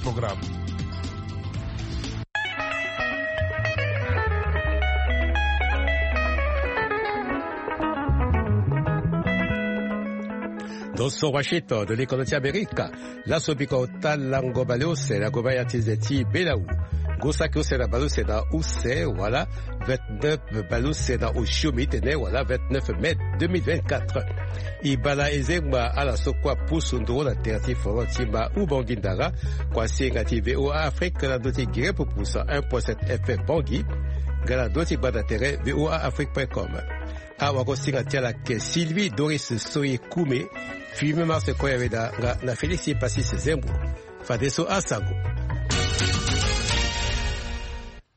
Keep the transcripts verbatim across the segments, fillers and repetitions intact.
Programme. Donc, so Washington, de l'économie américaine. Laso biko ota lango baleuse na goba ya ti ze ti belau. Ngu saki use na baleuse na use wala vingt-neuf baleuse na osio mi tene wala vingt-neuf mai deux mille vingt-quatre. E bala e zengba ala so kue apusu nduru na tere ti foro ti ma Ubangui Ndara, kua singa ti V O A Afrique na ndö ti gere pupusa un point sept F M Bangui, nga na ndö ti gbanda tere V O A Afrique point com. Awagosinga ti ala ke Sylvie Doris Soye Kume, Firmin Mars Koyaweda nga na Félix Passis Zembo. Fadeso asango.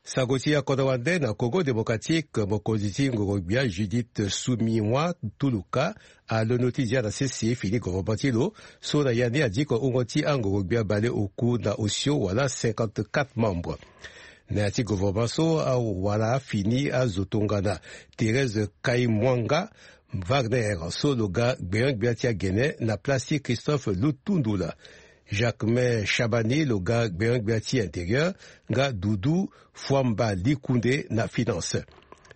Sango ti akodro wande na Congo Démocratique, mokonzi ti ngoro-gbia Judith Suminwa Tuluka alondo ti zia na sese fini govornement ti lo, so na ya ni adiko hungo ti angoro-gbia bale oku na osio wala cinquante-quatre membres. Na ya ti govornement so awara fini azo tongana Thérèse Kaimwanga Wagner so lo ga gbenyo-gbia ti agene na place ti Christophe Lutundula. Jacquemain Chabani lo ga gbenyo-gbia ti intérieur, nga Doudou Fouamba Likunde na finance.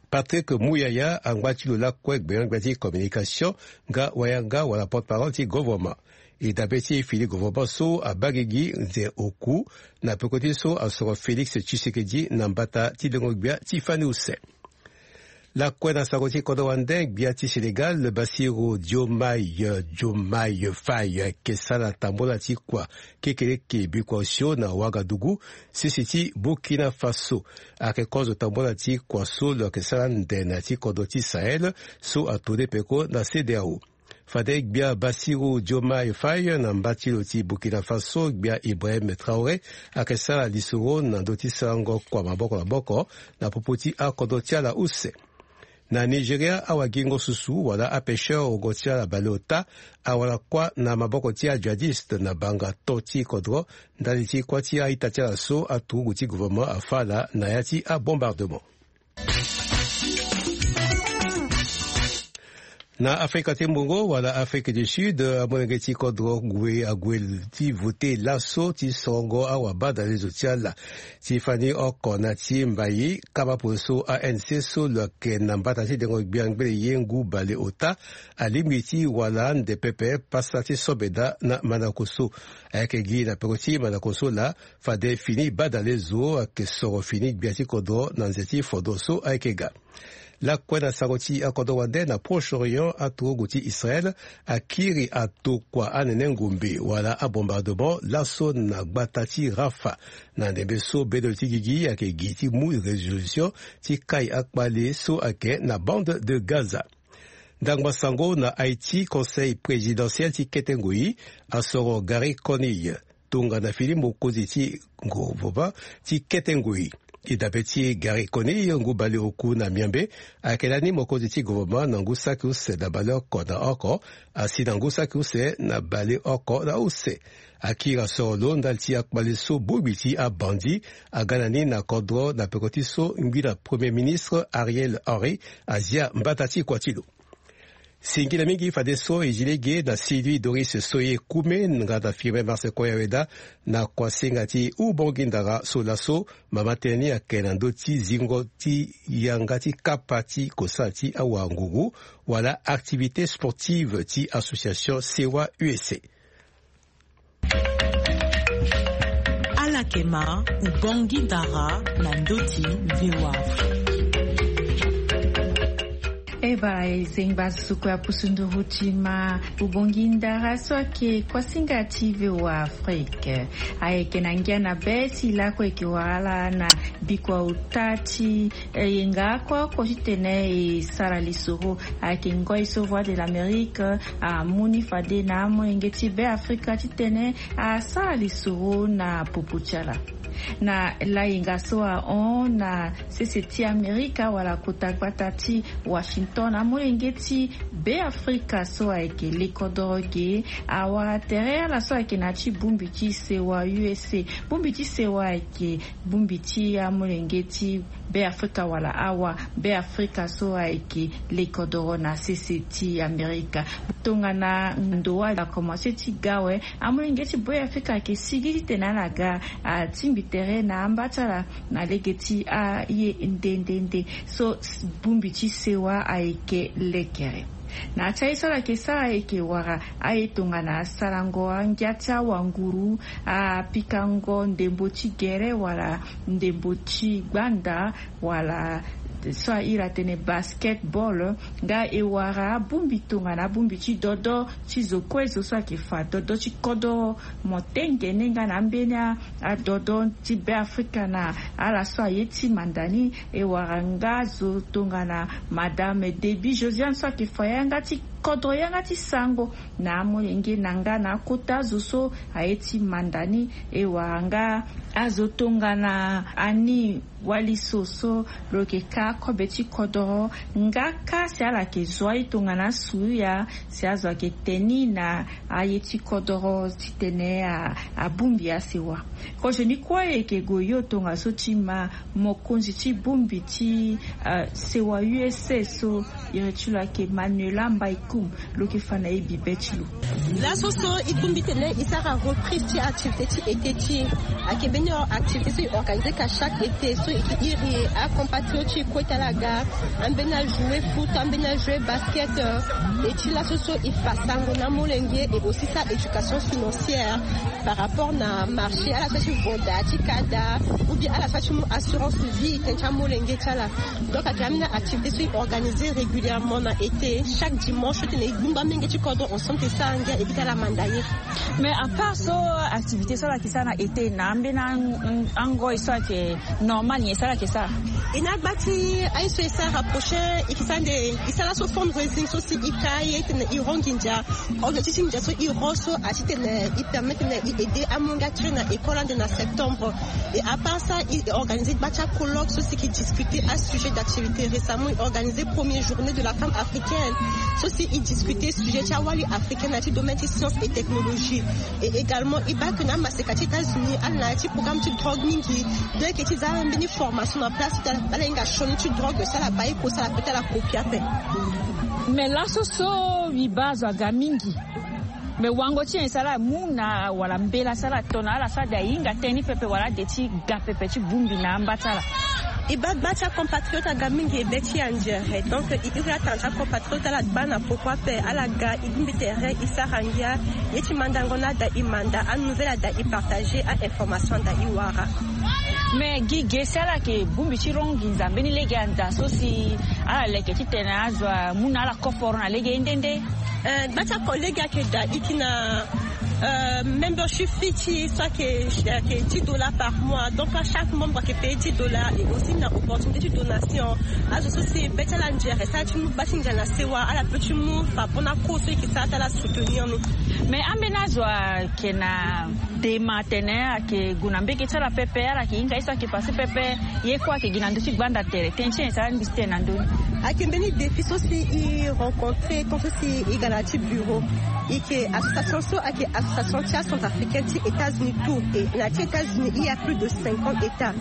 Patrick Muyaya angba ti lo lakue gbenyo-gbia ti communication, nga wayanga wala porte-parole ti govornement. E dabe ti fini govornement so abaa gigi nze oku na peko ti so asoro Félix Tshisekedi na mbata ti lengo-gbia ti fani use. Lakue na sango ti kodro wande, gbia ti Sénégal Bassirou Diomaye Diomaye Faye ayeke sara tambula ti kua kekereke bikua osio na Ouagadougou, sese ti Burkina Faso. Ayeke kozo tambula ti kua so lo yeke sara ande na ya ti kodro ti Sahel so atonde peko na CEDEAO. Fade gbia Bassirou Diomaye Faye na mba ti lo ti Burkina Faso, gbia Ibrahim Traoré, ayeke sara lisoro na ndö ti sarango kua maboko na maboko na popo ti akodro ti ala use. Na Nigeria, awagingo susu wala apêcheur wongo ti ala baleota awara kuâ na maboko ti ajihadiste na banga to ti kodro, ndali ti kuâ ti a-ita ti ala so aturugu ti gouvernement afa ala na ya ti abombardement. Na Afrika ti Mbongo wala Afrique du Sud, amolenge ti kodro gue ague ti vote laso ti sorongo awabadalezo ti ala ti fani oko na ti mbai kaba pue so A N C so lo yeke na mbata ti dengo gbia ngbele ye ngu baleota alingbi ti wara ande pepe pasa ti sobeda na mandako so. Ayeke gi na peko ti mandako so laa, fade fini badalezo ayeke soro fini gbia ti kodro na nze ti fondo so ayeke ga. Lakue na sango ti akodro wande, na Proche-Orient, aturugu ti Israël akiri atokua anene ngombe wala abombardement laso na gbata ti Rafah, na ndembe so bendo ti gigi ayeke gi ti mu résolution ti kai akpale so ayeke na bande de Gaza. Ndangba sango na Haïti, conseil présidentiel ti kete ngoi asoro Garry Conille tongana fini mokonzi ti gouvernement ti kete ngoi. E dabe ti Garry Conille, ngu baleoku na miambe, ayeke lani mokonzi ti gouvernement na ngu saki use na baleoko na oko, asi na ngu saki use na baleoko na use. Akiri asoro lo ndali ti akpale so bongbi ti abandi aga na ni na kodro na peko ti so ngbi na Premier ministre Ariel Henry azia mbata ti kua ti lo. Singila mingi fadeso e zi lege na Sylvie Doris Soye Kume nga na Firmin Mars Koyaweda na kuasinga ti Ubongi Ndara so laso mama tënë ni ayeke na ndö ti zingo ti yanga ti kapa ti kosala ti awanguru wala activité sportive ti association Sewa U S A. Ala yeke ma Ubongi Ndara na ndö ti V O A Afrique. E baa, e zengba suku ya pusu nduru ti ma Ubongi Ndara so ayeke kuasinga ti V O A Afrique. Ayeke na ngia na be ti lakue yeke wara ala na bikua ota ti Eh, yenga oko oko titene e sara lisoro. Ayeke ngoi so Voix de l'Amérique amu ni fade na amolenge ti Beafrika titene asara lisoro na popo ti ala. Na layenga so ahon na sese ti Amerika wala kota gbata ti Washington. Na molenge ti Beafrika so ayeke le kodoro ge, awara tere ala so ayeke na ya ti bongbi ti sewa U S A. Bongbi ti sewa ayeke bongbi ti amolenge ti Beafrika wala awa Beafrika so ayeke le kodoro na sese ti Amerika. Tongana ndo akomanse ti ga awe, amolenge ti Beafrika ayeke sigi titene ala ga atingbi tere na amba ti ala na lege ti aye nde nde nde. So bongbi ti sewa ayeke lekere. Na ya ti aye so ala yeke sara ayeke wara aye tongana asarango angia ti awanguru, apikango ndembo ti gere wala ndembo ti gbanda, wala so ahiri atene basketball. Nga e wara abongbi tongana abongbi ti dodo ti zo kue zo so ayeke fa dodo ti kodoro, mo tengene nga na ambeni adodo ti Beafrika na ala so aye ti manda ni. E wara nga zo tongana Madame Debbie Josiane so ayeke fa yanga ti kodro yanga ti sango na amolenge na nga na akota azo so aye ti manda ni. E wara nga azo tongana Annie Waliso so lo yeke ka kobe ti kodoro. Nga ka si ala yeke zo aye tongana asuya si azo ayeke teni na aye ti kodoro titene abongbi asewa. Kozo ni kue e yeke gue yo tongaso ti ma mokonzi ti bongbi ti sewa U S A so iri ti lo ayeke Manuela Mbaikum. Lo yeke fa na e bibe ti lo. Laso so e bongbi tene e sara reprise ti activité ti été ti e. Ayeke mbeni activité so e organiser ka chaque été so e yeke iri acompatriote ti e kue ti ala ga. Ambeni ajouer foot, ambeni ajouer basket. Et ti laso so e fa sango na amolenge et aussi sara éducation financière par rapport na marché ala so ti voda ti kada ou bien ala so ti mu assurance vie tene ti amolenge ti ala. Donc ayeke ambeni activité so e organiser régulièrement na été chaque dimanche titene e gbungba amolenge ti kodro ensemble e sara ngia e bi ti ala manda ye. Mais à part so activité so ala yeke sara na été na ambeni angoi so ayeke normal nyen so ala yeke sara? E na agba ti aye so e sara prochain e yeke sara nde e sara so fundraising so si e ka ye titene e ro nginza. Objectif ti nginza so e ro so atitene e permettre titene e aider amolenge ti e na école ande na septembre. Et à part ça e organiser gba ti acolloque so si e yeke discuter asujet d'activité. Récemment e organiser première journée de la femme africaine so si e discuter sujet ti awali africaine na ya ti domaine ti science et technologie. Et également e baa ke na amaseka ti États-Unis ala na ya ti programme ti drogue mingi. Donc e yeke ti za ala mbeni formation na place ti ala hinga sioni ti drogue so ala baa e kosa ala peut ala kopi ape. Mais laso so e baa azo aga mingi. Mais wango ti nyen si ala mu na wala mbela si ala to na ala so ade ahinga tënë ni pepe wala ade ti ga pepe ti bongbi na amba ti ala? E baa gba ti acompatriote aga mingi e be ti anzere. Donc e iri atanga ti acompatriote ala gba na poko ape ala ga e bongbi tere e sara ngia. Ye ti mandango ni ada e manda, anouvelle ada e partager, ainformation ada e wara. Mais gi ge si ala yeke bongbi ti ro nginza mbeni lege anza so si ala leke titene azo amu na ala koforo na lege ye nde nde. Gba ti ako lege ayeke daa e yeke na membership fee ti e so ayeke dix dollars par mois. Donc chaque membre ayeke payer dix dollars. Et aussi na opportunité ti donation. Azo so si be ti ala nzere si ala ti mu gba ti nzere na sewa ala peut ti mu fa po na ko so e yeke sara ti ala soutenir ni. Mais ambeni azo ayeke na dema atene ayeke gue na mbege ti ala pepe ala yeke hinga ye so ayeke pase pepe. Ye kue ayeke gi na ndö ti gbanda tere tënë ti nyen si ala ngbisi tënë na ndö ni? Ayeke mbeni défi so si e rencontrer tant so si e ga na ya ti bureau. E yeke association so ayeke association ti acentrafricaine ti États-Unis tout. Et na ya ti États-Unis il y a plus de cinquante états.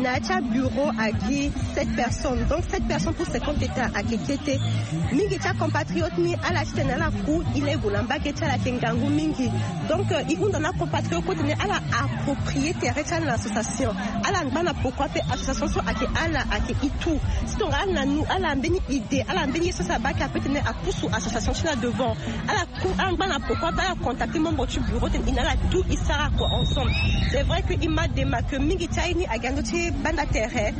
Na ya ti abureau agi sept personnes. Donc sept personnes pour cinquante états ayeke kete. Mingi ti acompatriote ni ala titene ala ku e lego na mbage ti ala ayeke ngangu mingi. Donc e hunda na acompatriote kue titene ala approprier tere ti ala na association. Ala ngba na poko ape association so ayeke ala ayeke e tout. Si tongana ala na nu ala mbeni idée ala mbeni ye so si abaa ayeke ape titene apusu association ti na devant. Ala ku ala ngba na poko ape ala contacter membre ti bureau titene e na ala tout e sara kua ensemble. C'est vrai que e ma dema ke mingi ti aye ni agi na ndö ti banda tere.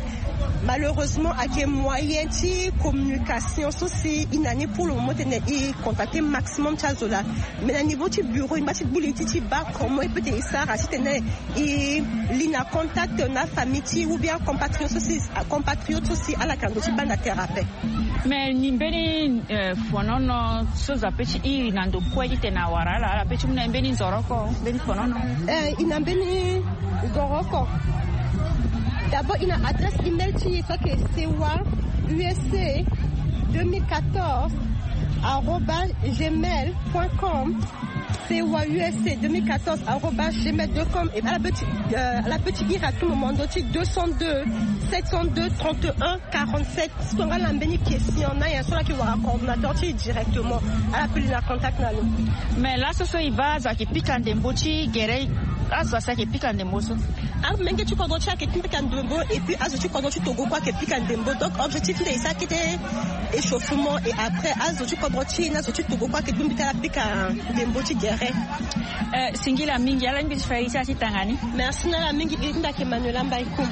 Malheureusement ayeke moyen ti communication so si e na ni pour le moment titene e contacter maximum ti azo laa. Mais na niveau ti bureau e ngba ti gbu li ti ti baa comment e peut ti e sara titene e li na contact na afamille ti ou bien acompatriote so si acompatriote so si ala yeke na ndö ti banda tere ape. Mais ni mbeni fonono so zo ape ti iri na ndo kue titene awara ala ala pe ti mu na ye mbeni nzoro oko mbeni fonono? Eh, e na mbeni nzoro oko. D'abord e na adresse email ti e so ayeke sewa usa deux mille quatorze arobase gmail point com. Sewa U S C deux mille quatorze arobase gmail point com. Et à la petite, euh, à la petite ira tout moment, donc deux cent deux, sept cent deux, trente et un, quarante-sept. Si tongana mbeni question na ya, so laki wara coordonnateur ti directement, ala peli na contact na lo. Mais laso so e baa azo ayeke pika ndembo ti gere, azo asi ayeke pika ndembo so. Amenge ti kodro ti ayeke pika ndembo, et puis azo ti kodro ti Togo kue ayeke pika ndembo. Donc objectif nde e sara kete échauffement, et après azo ti kodro ti na azo ti Togo kue ayeke bongbi ti ala pika ndembo ti gere. Eh, singila mingi, ala lingbi ti fa iri ti ala ti tanga ni. Merci na ala mingi, iri ti nda ayeke Manuela Mbaïko.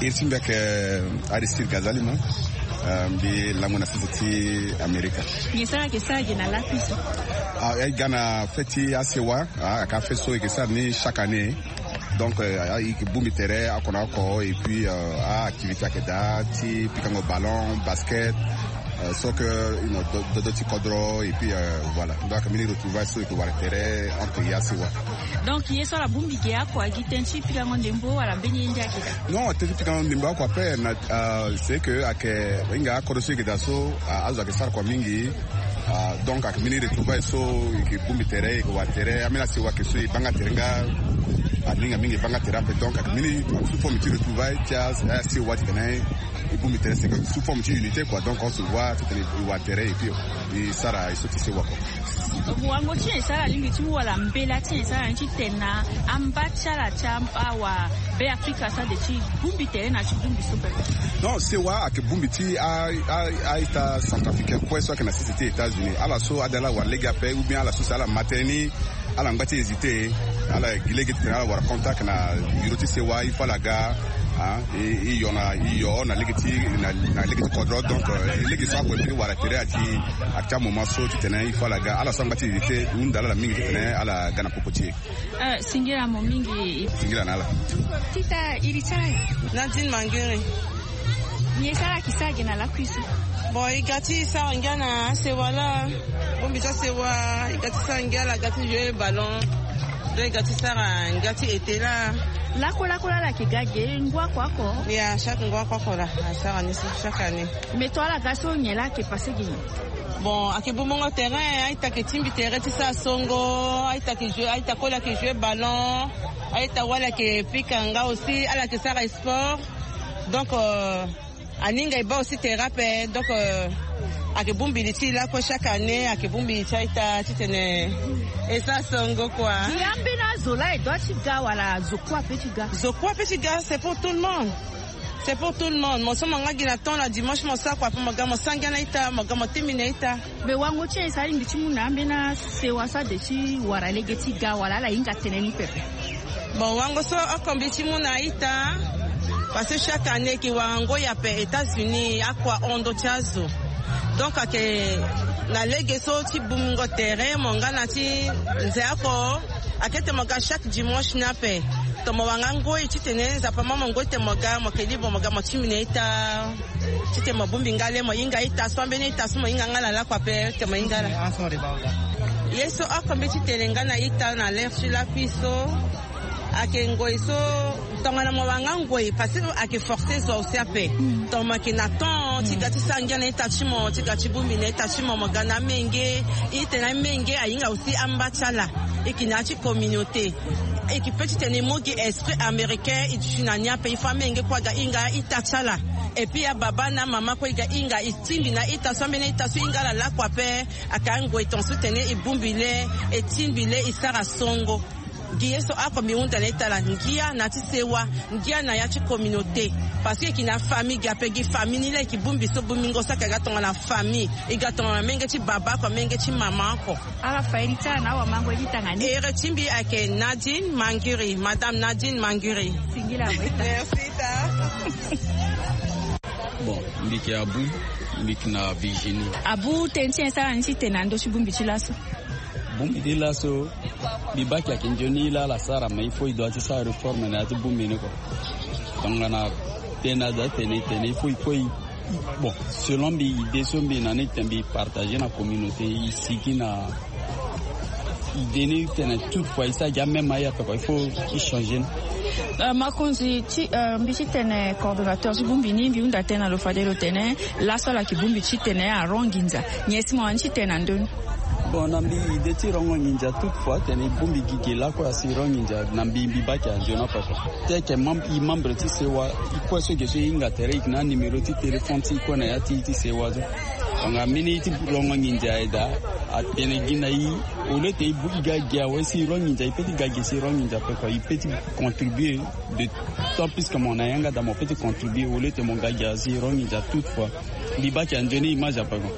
Iri ti mbi ayeke Aristide Gazali mo. Eh, mbi lango na sese ti Amerika. Nyen so ala yeke sara gi na lakui so? Ah, e ga na fête ti asewa, ah, aka fête so e yeke sara ni chaque année. Donc, euh, ah, e yeke bongbi tere oko na oko, et puis, euh, ah, activité ayeke daa ti pikango ballon, basket, euh, so que, you know, do, dodo ti kodro, et puis, euh, voilà. Donc, mbeni retrouvaille so e yeke wara tere entre e asewa. Donc ye so ala bongbi ge oko agi tënë ti pikango ndembo wala mbeni ye nde ayeke daa? Non, tënë ti pikango ndembo oko ape na, euh, c'est que ayeke hinga akodro so e yeke daa so, ah, azo ayeke sara kua mingi. Ah, donc ayeke mbeni retrouvaille so e yeke bongbi tere, e yeke wara tere, ambeni asewa ayeke so e baa nga tere nga, aninga mingi e baa nga tere ape. Donc ayeke mbeni sous forme ti retrouvaille ti a, asewa titene e bongbi tere, c'est que sous forme ti unité quoi. Donc on se voit titene e wara tere et puis e sara e so ti sewa quoi. Wango ti nyen so ala lingbi ti mu wala mbela ti nyen so ala ni ti tene na amba ti ala ti awa Be Afrika so ade ti bongbi tere na ti bongbi so pepe? Non, sewa ayeke bongbi ti a, a, a-ita centrafricain kue so ayeke na sese ti États-Unis. Ala so ade ala wara lege ape, ou bien ala so si ala ma tënë ni, ala ngba ti hésiter, ala gi lege titene ala wara contact na bureau ti sewa, il faut ala ga, ah, e, e yo na, e yo na lege ti, na, na lege ti kodro. Donc, euh, lege so ague ti wara tere ati, ati amoment so titene il faut ala ga. Ala so angba ti hésiter, e hunda ala mingi titene ala ga na popo ti e. Eh, singila mo mingi. Singila na ala. Tita iri ti ala? Nadine Mangere. Nyen so ala yeke sara gi na lakui so? Bon, e ga ti sara ngia na asewa laa. Bongbi ti asewa, e ga ti sara ngia laa, ga ti jouer ballon. Donc e ga ti sara ngia ti ete laa. Lakue lakue laa ala yeke ga ge ngu oko oko? Ya, chaque ngu oko oko laa asara ni so chaque année. Mais to ala ga so nyen laa ayeke passer gi nyen? Bon, ayeke bongbongo terrain, a-ita ayeke tingbi tere ti sara songo, a-ita ayeke jouer, a-ita koli ayeke jouer ballon, a-ita wali ayeke pika nga aussi, ala yeke sara sport. Donc, euh, aninga e baa aussi tere ape. Donc, euh, ayeke bongbi li ti e lakue chaque année, ayeke bongbi li ti a-ita titene e sara songo kua. Gi ambeni azo laa e dua ti ga wala zo kue ape ti ga? Zo kue ape ti ga, c'est pour tout le monde. C'est pour tout le monde. Mo so mo nga gi na temps na dimanche, mo sara kua ape, mo ga mo sara ngia na ita, mo ga mo tingbi na ita. Mais wango ti nyen so alingbi ti mu na ambeni asewa so ade ti wara lege ti ga wala ala hinga tënë ni pepe? Bon, wango so oko mbi ti mu na ita, parce que chaque année e yeke wara ngoi ape États-Unis, akua hon ndö ti azo. Donc ayeke na lege so ti bongbingo tere, mo nga na ti nze oko, ayeke tene mo ga chaque dimanche ni ape. Tongana mo wara nga ngoi titene Nzapa amama mo ngoi titene mo ga, mo yeke libre, mo ga mo tingbi na ita. Titene mo bongbi nga le, mo hinga ita so, ambeni ita so mo hinga nga na lakue ape titene mo hinga laa. Ye so oko mbi ti tene nga na ita na l'heure ti lakui so, ayeke ngoi so, tongana mo wara nga ngoi, parce que ayeke forcer zo aussi ape. Tongana mo yeke na temps ti ga ti sara ngia na ita ti mo, ti ga ti bongbi na ita ti mo, mo ga na amenge. E tene amenge ahinga aussi amba ti ala. E yeke na ya ti communauté. E yeke peut titene e mu gi esprit américain, e duti na ni ape, il faut amenge kue aga hinga ita ti ala. Et puis ababa na amama kue e ga hinga, e tingbi na ita so, ambeni ita so e hinga ala lakue ape. Ayeke angoi tongaso titene e bongbi le, e tingbi le, e sara songo. Gi ye so oko mbi hunda na ita laa, ngia na ya ti sewa, ngia na ya ti communauté. Parce que e yeke na famille ge ape, gi famille ni laa e yeke bongbi so bongbingo so ayeke ga tongana famille. E ga tongana menge ti baba oko, menge ti mama oko. Ala fa iri ti ala na awamango ye ti tanga ni. Iri ti mbi ayeke Nadine Mangiri, Madame Nadine Mangiri. Singila mo ita. Merci ita. Bon, mbi yeke Abu, mbi yeke na Virginie. Abu, tënë ti nyen so ala ni ti tene na ndö ti bongbi ti laso? Bongbi ti laso, mbi baa ayeke nzoni laa ala sara, mais il faut e doit ti sara réforme na ya ti bongbi ni kua. Tongana tënë aza ti tene, tene il faut e kue. Bon, selon mbi, idée so mbi na ni titene mbi partager na communauté, e sigi na Idée ni tene toute fois e sara gi amême aye ape kua, il faut e changer ni. Makonzi ti mbi ti tene coordonnateur ti bongbi ni, mbi hunda tënë na lo fade lo tene laso ala yeke bongbi ti tene aron nginza. Nyen si mo wani ti tene na ndö ni? Bon, na mbi idée ti rongo nginza toute fois tene e bongbi gi ge lakue asi ron nginza na mbi, mbi baa ayeke anzoni ape kua. Ti ayeke e membre ti sewa, e kue so ge so e hinga tere e yeke na anuméro ti téléphone ti e kue na ya ti e ti sewa so. Tongana mbeni ti rongo nginza aye daa, atene gi na e. Au lieu ti e ga gi awe si e ron nginza, e peut ti ga gi si e ron nginza ape kua, e peut ti contribuer. De tant plus que mo na yanga daa mo peut ti contribuer au lieu ti mo ga gi awe si e ron nginza toute fois. Mbi baa ayeke anzoni image ape kua.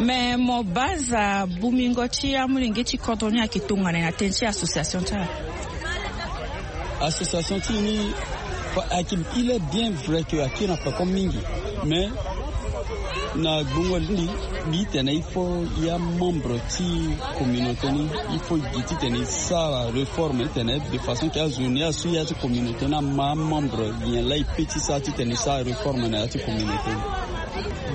Mais mo baa aza bongbingo ti amolenge ti kodro ni ayeke tongana nyen na tënë ti association ti ala? Association ti e ni, il est bien vrai que akiri na peko mingi, mais na gbongo ni mbi tene il faut ya membre ti communauté ni, il faut gi titene e sara réforme titene de façon que azo ni asu ya ti communauté ni ama amembre nyen laa e peut ti sara titene e sara réforme na ya ti communauté ni.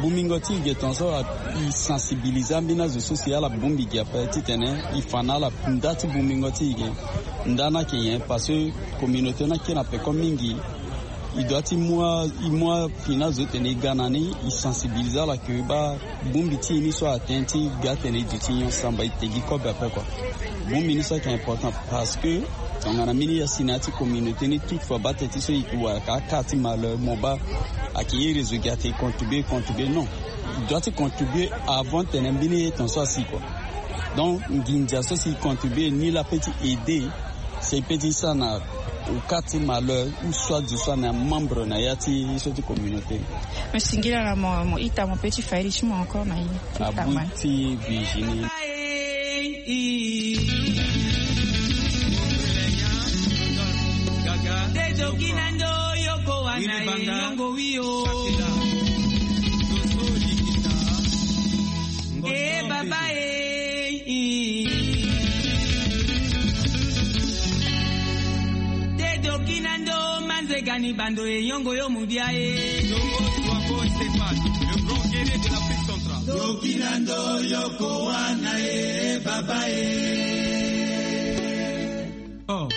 Bongbingo ti e ge tongaso e sensibiliser ambeni azo so si ala bongbi gi ape titene e fa na ala nda ti bongbingo ti e ge. Nda ni ayeke nyen? Parce que communauté ni akiri na peko mingi. E doit ti mu a, e mu afini azo titene e ga na ni, e sensibiliser ala que baa bongbi ti e ni so atene ti ga tene e duti nyon samba e te gi kobe ape kua. Bongbi ni so ayeke important parce que tongana mbeni ya si na ya ti communauté ni toute fois baa teti so e wara ka aka ti malheur mo baa ayeke ye réseau gi ate e contribuer, e contribuer non. E doit ti contribuer avant tene mbeni ye tongaso asi kua. Donc nginza so si e contribuer ni laa peut ti aider. Si e peut ti sara na au cas ti malheur ou soit zo so ane amembre na ya ti so ti communauté. Mo singila na mo, mo ita mo peut ti fairi ti mo encore na ye. Abui ti Virginie. E baba e. Te doki na ndo manzega ni bando e yongo yo mudia e. Doki na ndo yoko wana e baba e. Oh.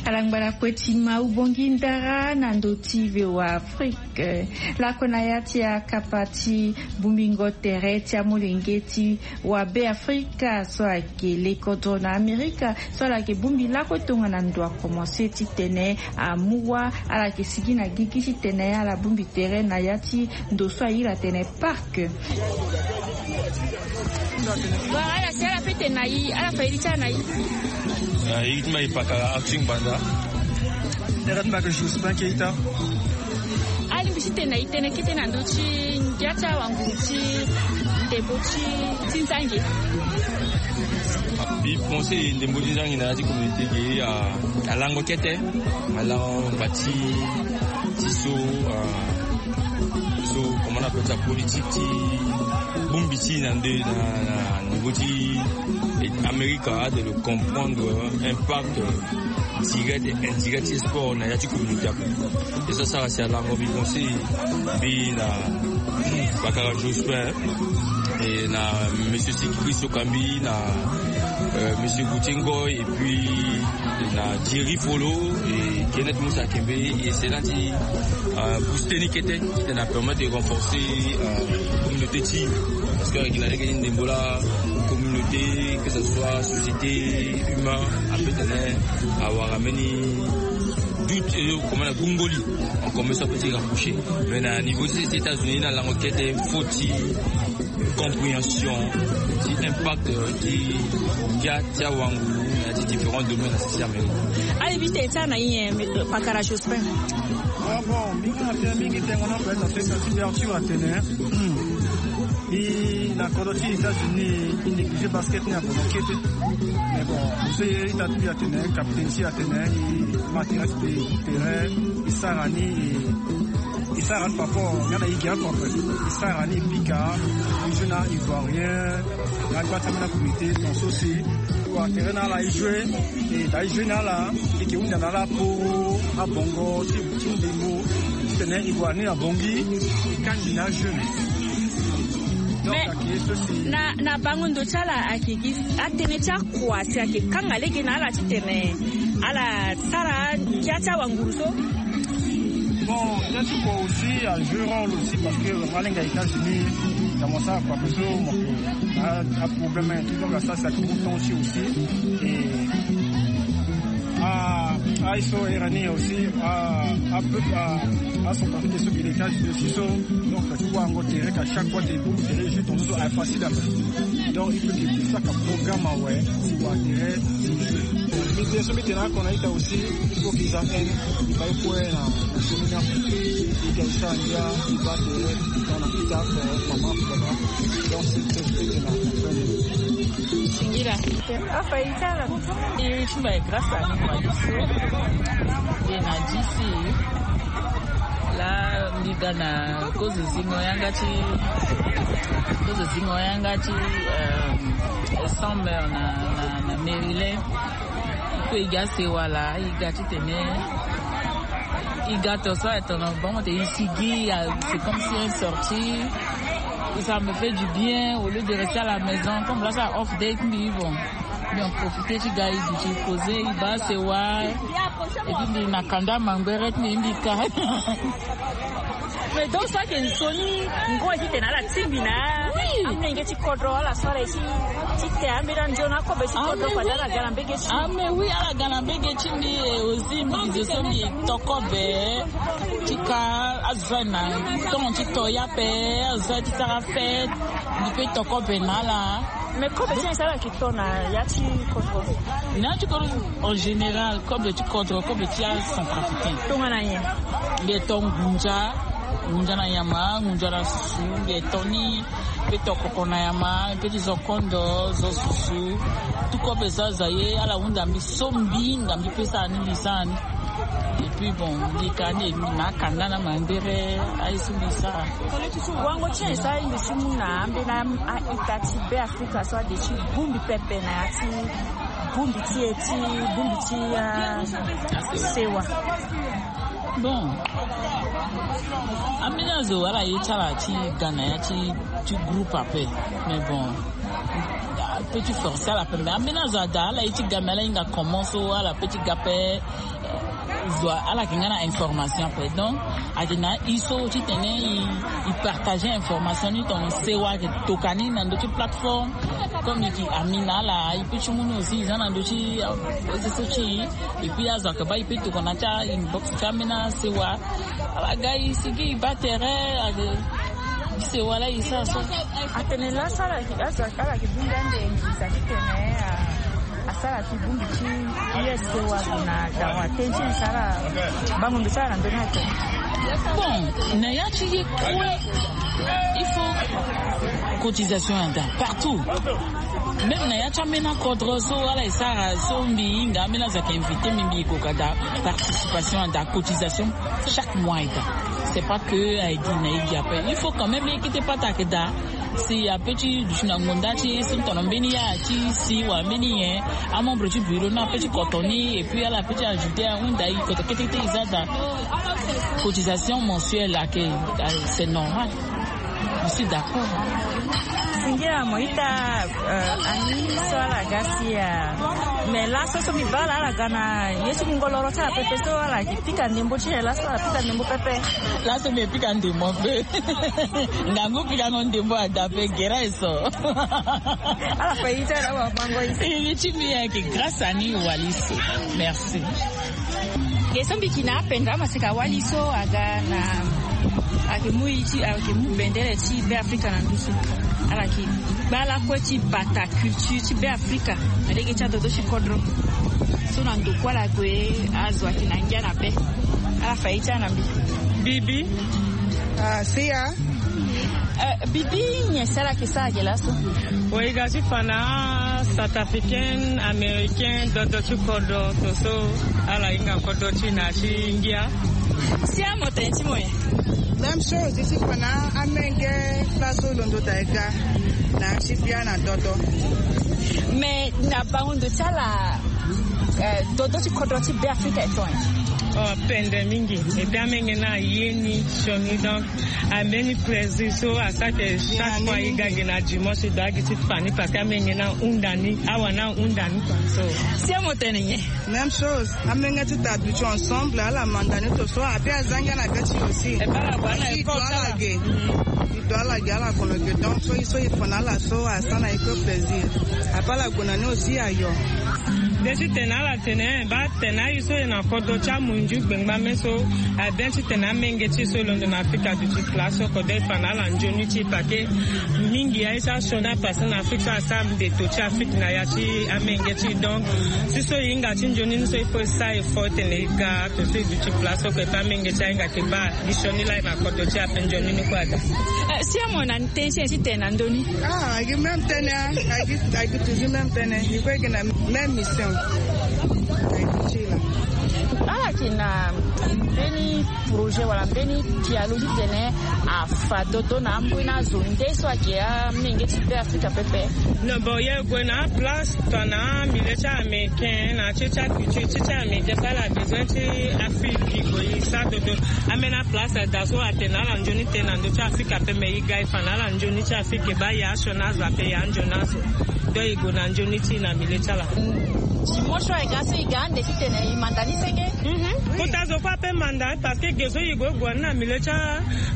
Alangba na kue ti ma ubongi ndara na ndo ti V O A Afrique. Lako na ya ti akapa ti bongbingo tere ti amolenge ti wa Be Afrika so ayeke lekodro na Amerika so ala yeke bongbi lako tongana ndo akomanse titene amu wa ala yeke sigi na gigi titene ala bongbi tere na ya ti ndo so ahiri atene parc. Wala ala si ala fete na i, ala fa iri ti ala na i. Ah, iri ti mbi ayeke pakara Arthur Ngbanda. Iri ti mbi ayeke Jospin Keita. Alingbi ti tene na i tënë kete na ndö ti ngia ti awanguru ti ndembo ti, ti nzangi. Mbi pense ndembo ti nzangi na ya ti communauté ge, ah, alango kete. Alango ngba ti, ti so, ah, so comment on appelle ça, politique ti bongbi ti na nde na, na niveau ti Amerika, de le comprendre impact direct et indirect ti sport na ya ti communauté ape. E so asara si alango mbi pense mbi na Bakara Jospin, e na monsieur Siki Christo Kambi, na, euh, monsieur Gauthier Ngoy, et puis na Thierry Folo, et Kenneth Moussa Kembe, et c'est là ti, euh, booster ni kete, qui na permettre de renforcer, euh, communauté ti, parce que avec la règle de Ndembola, communauté, que ce soit société, humain, après, t'as, awara mbeni doute, et comment la gungoli, on commence à petit rapprocher. Mais na niveau des États-Unis, na langue kete, faut ti compréhension ti impact ti ngia ti awanguru na ya ti différents domaines na sisi Amérique. Ala mbi tene ti ala na i nyen, Pakara Jospin? Ah bon, mbi ga na tënë mingi, tengo na peut-être na tënë ti mbi Arthur atene, hmm, mbi na kodro ti États-Unis, mbi néglige basket ni ape na kete. Mais bon, mbi so ye ita ti mbi atene, capitaine ti atene, mbi ma tere ti mbi, tere mbi sara ni, e Sara ni par rapport nga na igi oko ape. Sara ni e pika, e joue na ivoirien, na gba ti ambeni comité ton so si. Wa tere na ala e joue, e da e joue na ala, e ke hunda na ala poro abongo ti, ti ndembo titene e gue ni na Bangui, e kani na jeune. Donc, mais ake so si na, na bango ndo ti ala ake gi atënë ti akua si ake kanga lege na ala titene ala sara ngia ti awanguru so. Bon, ya ti kua aussi a joué rôle aussi parce que nga alenga États-Unis, na mo sara kua peso mo ke a, a problème, tout donc asara sa ke mu temps aussi aussi. Et a, a so e rani aussi a, a peu a, a son parti so ke États-Unis aussi so. Donc tu vois ngo tere ka chaque fois te bu tere juste on so a facile à faire. Donc il faut que ça ka programme awe si wa tere. Mbi te so mbi tene na akona ita aussi. Il faut qu'ils atteignent, il faut na semaine après il y a ça il y a il va te dans la pita pour maman pour maman. Donc c'est ce que je vais te dire. Singila. Afa itala. Iri ti mba e grâce à ni mba iso. Ye na disi. La mbi ga na kozo zingo yanga ti kozo zingo yanga ti euh, Summer na, na, na Maryland. Pe e ga sewa laa, e ga titene e ga to so aye tono bango te e sigi, c'est comme si un sorti. Ça me fait du bien au lieu de rester à la maison. Comme là ça off day ti mbi bon, mbi en profiter ti ga e duti poser e baa sewa. Et puis mbi na kanda mangbere ti mbi mbi ka. Mais donc so ayeke nzoni ngoi titene ala tingbi na amolenge ti kodro ala so ala ye ti ti te ambeni anzoni akobe ti kodro fade ala ga na mbege ti. Ah mais oui, ala ga na mbege ti mbi. E aussi mbi gi zo so mbi toko be ti ka azo so aye na tongo ti to ya pe azo so aye ti sara fête. Mbi pe toko be na ala. Mais kobe ti nyen so ala yeke to na ya ti kodro? Na ya ti kodro en général, kobe ti kodro, kobe ti acentrafricain. Tongana nyen? Mbi e to ngunza, ngunza na nyama, ngunza na susu, mbi e to ni. Mbi pe to koko na nyama, mbi pe ti zo kondo, zo susu. Tout kobe so aza ye ala hunda mbi so mbi hinga mbi pe sara ni mbi sara ni. Et puis bon, mbi ka ni na akanda na mangbere aye so mbi sara. Wango ti nyen so aye mbi ti mu na ambeni a-ita ti Beafrika so ade ti bongbi pepe na ya ti bongbi ti e ti bongbi ti ah, sewa. Bon, ambeni azo ala ye ti ala ti ga na ya ti ti groupe ape. Mais bon, ape ti forcer ala ape mais ambeni azo ada ala ye ti ga mais ala hinga comment so ala pe ti ga ape. Zo ala yeke nga na information ape donc ayeke na aye so titene e partager information ni tongana sewa ayeke toka ni na ndö ti plateforme. Comme e yeke ami na ala e pe ti mu ni aussi e za na ndö ti réseau so ti e. Et puis azo ayeke baa e pe tokana ti a-inbox ti ambeni asewa. Ala ga e sigi e baa tere ayeke sewa laa e sara so. Atene laso ala yeke azo ala yeke bongbi ande nginza titene asara ti bongbi ti ye sewa gue na dawa tënë ti nyen so ala bango mbi so ala na ndö ni ato. Bon, na ya ti ye kue il faut cotisation ada partout. Même na ya ti ambeni akodro so ala e sara so mbi hinga ambeni azo ayeke invité mbi mbi e koka daa. Participation ada cotisation chaque mois eda. C'est pas que aye gi na e gi ape il faut quand même e kete pata ayeke daa. Si ape ti duti na ngonda ti e so tono mbeni ya ti si wala mbeni nyen amembre ti bureau ni ape ti koto ni et puis ala ape ti ajouter ahunda e koto ketekete e za daa. Cotisation mensuelle ayeke, c'est normal. Je suis d'accord. Singila mo ita. Euh, ani so ala ga si ah, mais laso so mbi baa ala ala ga na ye ti ngongoloro ti ala pepe so ala yeke pika ndembo ti nyen laso ala pika ndembo pepe. Laso mbi yeke pika ndembo ape. Ngangu pikango ndembo ada ape gere aye so. Ala fa ye ti ala wabango ye. Ye ti mbi ayeke grâce ani wali so. Merci. Ge so mbi yeke na apendra maseka wali so aga na ayeke mu ye ti ayeke mu bendele ti Beafrika na ndusu. Ala yeke gba lakue ti bata culture ti Beafrika na lege ti adodo ti kodro. So na ndo kue ala gue azo ayeke na ngia na be. Ala fa ye ti ala na mbi. Bibi. Ah, sia. Euh, bibi nyen so ala yeke sara ge laso? Wa e ga ti fa na asouth africain, américain, dodo ti kodro to so ala hinga kodro ti e na ya ti ngia. Sia mo tene ti mo nyen? Même chose ti fa na amenge place so londo daa e ga na ya ti bia na dodo. Mais na bango ndo ti ala, eh, dodo ti kodro ti Be Afrika e tonga. Oh, pende mingi. Et puis amenge na aye ni sioni, donc ambeni plaisir so asara ke chaque fois e ga gi na dimanche e doit gi ti fa ni parce que amenge na ahunda ni, awa na ahunda ni quoi. So si amo tene nyen? Même chose. Amenge ti ta duti ensemble, ala manda ni to so, ape azangi ala ga ti aussi. E baa ala gue na école ala ge. E do ala ge, ala kono ge. Donc so e so e fa na ala so asara na e ko plaisir. Ape ala gue na ni aussi ayo. Nde ti tene ala tene, baa tene aye so e na kodro ti amunzu gbengba me so, abien ti tene amenge ti e so e londo na Afrika duti place oko, donc e fa na ala nzoni ti e pake mingi aye so asioni apassé na Afrique so asara nde to ti Afrique na ya ti amenge ti e. Donc si so e hinga ti nzoni ni so il faut e sara effort tene e ga to so e duti place oko, e pe amenge ti e ahinga ke baa gi sioni laa e na kodro ti e ape nzoni ni kue aga. Eh, si amo na tënë ti tene na ndö ni? Ah, agi même tënë, ah, agi, agi toujours même tënë. E kue gi na même mission. Agi ti la. Ala yeke na mbeni projet wala mbeni dialogue ti tene afa dodo na ambeni azo nde so ayeke amenge ti Be Afrika pepe? Non, bon, e gue na aplace tongana milieu ti américain na ti ti aculture ti ti américain so ala besoin ti Afrique e gue e sara dodo. Ambeni aplace ada so atene na ala nzoni tënë na ndö ti Afrika pepe, mais e ga e fa na ala nzoni ti Afrique e baa e asioni azo ape, e anzoni azo. Donc e gue na nzoni ti e na milieu ti ala. Dimanche so e ga so e ga ande ti tene e manda ni senge? Mhm. Kota zo kue ape manda, parce que ge so e gue e gue ni na milieu ti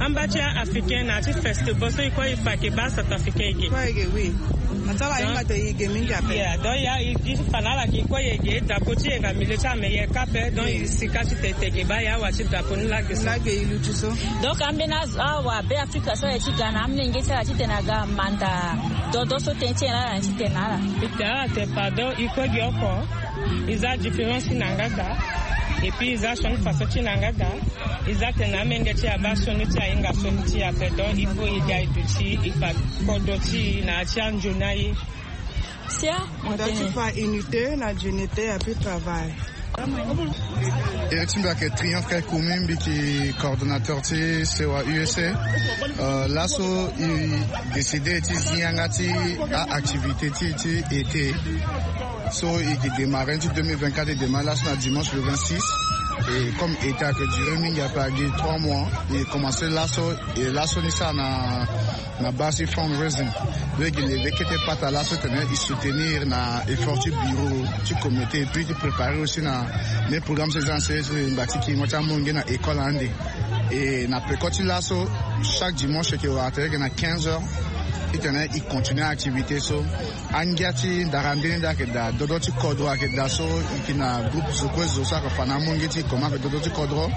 amba ti africain na ti festival so e kue e fa ke baa centrafricain e ge. Kue e ge, oui. Atala e hinga te e ge mingi ape. Yeah, donc ya e fa na ala ke e kue e ge drapeau ti e na milieu ti ameilleur ka ape, donc e sika ti tene e ge baa e awa ti drapeau ni lage so. Lage e luti so. Donc ambeni azo awa Be Afrika so aye ti ga na amenge ti ala ti tene aga manda dodo so tënë ti e na ala na ti tene na ala. E tene ala tene pardon, e kue gi oko. E za différence ti na yanga daa. Et puis e za sioni façon ti na yanga daa. E za tene amenge ti e abaa sioni ti e ahinga sioni ti e ape, donc il faut e ga e duti e fa kodro ti e na ya ti anzoni aye. Sia, mo tene. Nda ti fa unité na dignité, et puis travail. Iri ti mbi ayeke Triomphe Kaikumi, mbi yeke coordonnateur ti Sewa U S A. Euh, laso e décidé ti zi yanga ti a-activité ti e ti été. So e yeke démarré ni ti deux mille vingt-quatre, e démarré laso na dimanche le vingt-six. Et comme été ayeke duré mingi, ape agi trois mois, e commencé laso, e laso ni sara na na base ti fundraising. Donc e yeke levé kete pata laso titene e soutenir na effort ti bureau ti communauté, et puis ti préparer aussi na mbeni programme so e za na sese ngba ti kingo ti amonge na école ande. Et na peko ti laso, chaque dimanche e yeke wara tere e yeke na quinze heures, titene e continuer activité so. Angia ti ndara nde ni nde ayeke daa, dodo ti kodro ayeke daa so, e yeke na groupe zo kue zo so ayeke fa na amonge ti e comment ayeke dodo ti kodro.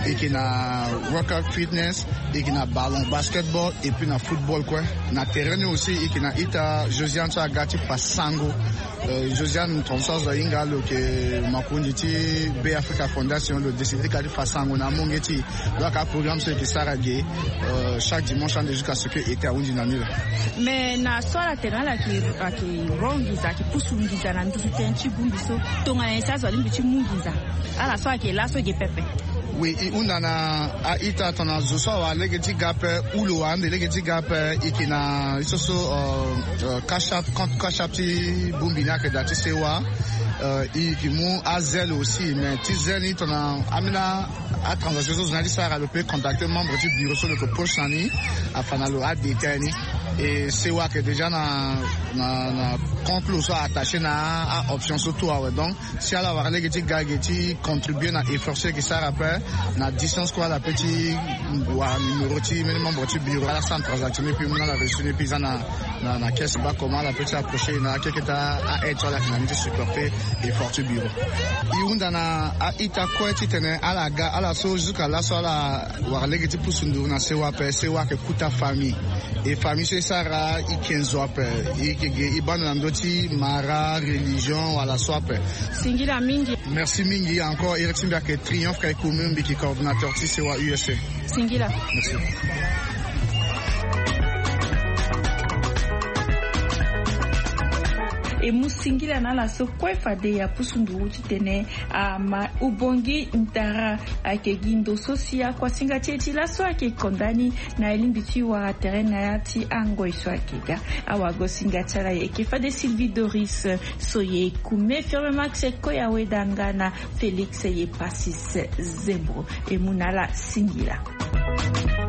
E yeke na workout fitness, e yeke na ballon, basketball, et puis na football kue. Na terrain ni aussi e yeke na ita Josiane so aga ti fa sango. Euh, Josiane, tongaso azo ahinga lo yeke makonzi ti Be Africa Fondation, lo décidé kâ ti fa sango na amonge ti e. Donc aprogramme so e yeke sara ge, euh, chaque dimanche ande jusqu'à ce que été ahunzi na ni laa. Mais na so ala tene ala yeke, ayeke hon nginza, ayeke pusu nginza na nduzu tënë ti bongbi so, tongana nyen si azo alingbi ti mu nginza? Ala so ayeke laso ge pepe. Oui, e hunda na a-ita tongana zo so awara lege ti ga ape, ou lo wara ande lege ti ga ape, e yeke na ye so so, euh, euh, Cash App, compte Cash App ti bongbi ni ayeke daa ti Sewa. Euh, e yeke mu azèle aussi, mais ti zèle ni tongana ambeni atransaction so zo ni aye ti sara, lo peut contacter membre ti bureau so lo yeke proche na ni, afa na lo adétail ni. Et Sewa ayeke déjà na, na, na compte lo so a-attaché na a-option so tout awe. Donc si ala wara lege ti ga ge ti contribuer na effort so e yeke sara ape, na distance kue ala peut ti wara numéro ti mbeni membre ti bureau, ala sara transacte ni, puis mu na ala reçu ni, puis e za na, na, na caisse baa comment ala peut ti approcher na akeketa a-aide so ala yeke na ni ti supporter effort ti bureau. E hunda na a-ita kue titene ala ga, ala so jusqu'à laso ala wara lege ti pusu nduru na Sewa ape, Sewa ayeke kota famille. E famille so e sara e yeke nzo ape, e yeke ge e baa ndo na ndö ti mara, religion wala so ape. Singila mingi. Merci mingi encore. Iri ti mbi ayeke Triomphe Kaikumi, mbi yeke coordonnateur ti Sewa U S A. Singila. Merci. E mu singila na ala so kue fade ya pusu nduru titene ama ubongi ntara. Ayeke gi ndo so si akuasinga ti e ti laso ayeke konda ni na elingbi ti wara tere na ya ti angoi so ayeke ga. Awagosinga ti ala yeke fade Sylvie Doris, so ye kume Firme Max Koya Weda nga na Félix ye Passis Zembro. E mu na ala singila.